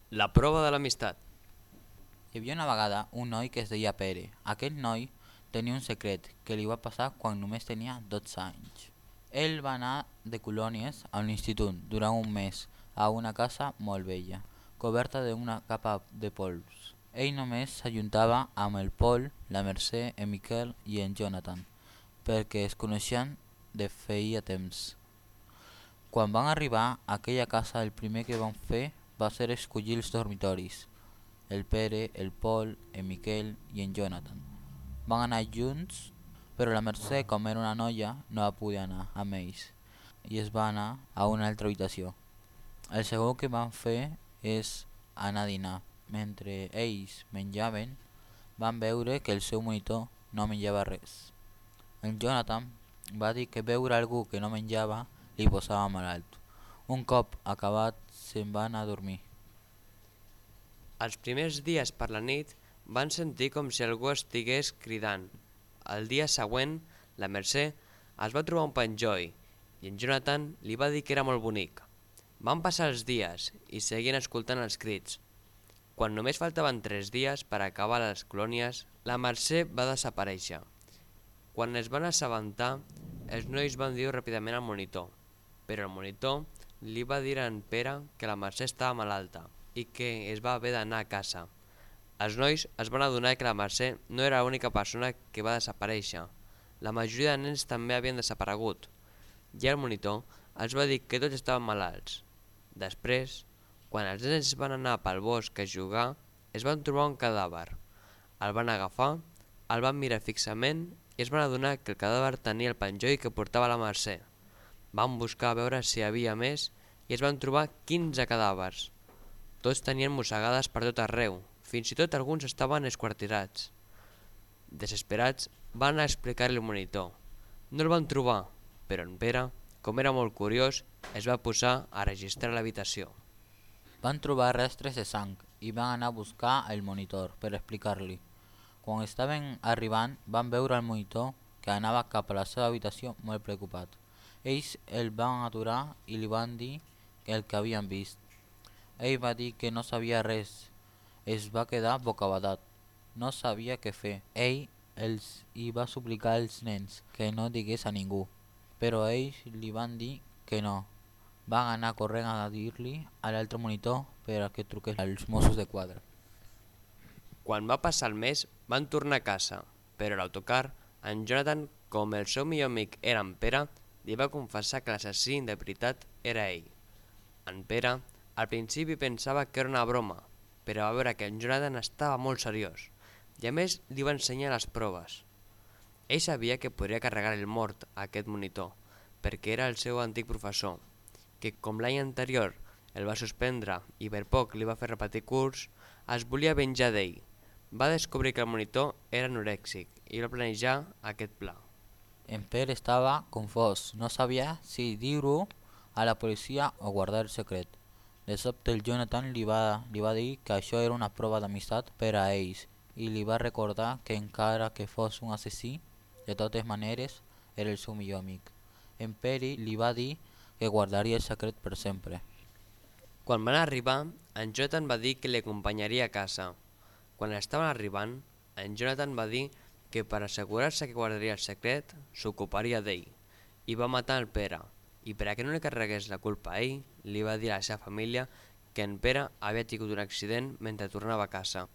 La prova de l'amistat. Hi havia una vegada un noi que es deia Pere. Aquell noi tenia un secret que li va passar quan només tenia 12 anys. Ell va anar de colònies a l'institut durant un mes a una casa molt vella, coberta d'una capa de pols. Ell només s'ajuntava amb el Pol, la Mercè, en Miquel i en Jonathan, perquè es coneixien de feia temps. Quan van arribar a aquella casa el primer que van fer va ser escollir els dormitoris. El Pere, el Pol, en Miquel i en Jonathan van anar junts, però la Mercè, com era una noia, no va poder anar amb ells i es va anar a una altra habitació. El segon que van fer és anar a dinar. Mentre ells menjaven, van veure que el seu monitor no menjava res. En Jonathan va dir que veure algú que no menjava li posava malalt. Un cop acabat, se'n va anar a dormir. Els primers dies per la nit van sentir com si algú estigués cridant. El dia següent, la Mercè es va trobar un penjoll i en Jonathan li va dir que era molt bonic. Van passar els dies i seguien escoltant els crits. Quan només faltaven 3 dies per acabar les colònies, la Mercè va desaparèixer. Quan es van assabentar, els nois van dir ràpidament al monitor, però el monitor li va dir a en Pere que la Mercè estava malalta i que es va haver d'anar a casa. Els nois es van adonar que la Mercè no era l'única persona que va desaparèixer. La majoria de nens també havien desaparegut, i el monitor els va dir que tots estaven malalts. Després, quan els nens van anar pel bosc a jugar, es van trobar un cadàver. El van agafar, el van mirar fixament i es van adonar que el cadàver tenia el penjoll que portava la Mercè. Van buscar a veure si hi havia més i es van trobar 15 cadàvers. Tots tenien mossegades per tot arreu, fins i tot alguns estaven esquartirats. Desesperats, van anar a explicar-li al monitor. No el van trobar, però en Pere, com era molt curiós, es va posar a registrar l'habitació. Van trobar restres de sang i van anar a buscar el monitor per explicar-li. Quan estaven arribant van veure el monitor que anava cap a la seva habitació molt preocupat. Ells el van aturar i li van dir el que havien vist. Ell va dir que no sabia res. Es va quedar bocabadat. No sabia què fer. Ell hi va suplicar als nens que no digués a ningú, però ells li van dir que no. Van anar corrent a dir-li a l'altre monitor per a que truqués als Mossos de Quadra. Quan va passar el mes, van tornar a casa, però a l'autocar, en Jonathan, com el seu millor amic era en Pere, li va confessar que l'assassí de veritat era ell. En Pere, al principi pensava que era una broma, però va veure que en Jonathan estava molt seriós, i a més li va ensenyar les proves. Ell sabia que podria carregar el mort a aquest monitor, perquè era el seu antic professor, que com l'any anterior el va suspendre i per poc li va fer repetir curs, es volia venjar d'ell. Va descobrir que el monitor era anorèxic i va planejar aquest pla. En Pere estava confós, no sabia si dir-ho a la policia o guardar el secret. De sobte el Jonathan li va dir que això era una prova d'amistat per a ells i li va recordar que encara que fos un assassí, de totes maneres era el seu millor amic. En Pere li va dir que guardaria el secret per sempre. Quan van arribar, en Jonathan va dir que l'acompanyaria a casa. Quan estaven arribant, en Jonathan va dir que per assegurar-se que guardaria el secret, s'ocuparia d'ell, i va matar el Pere, i per a que no li carregués la culpa a ell, li va dir a la seva família que en Pere havia tingut un accident mentre tornava a casa.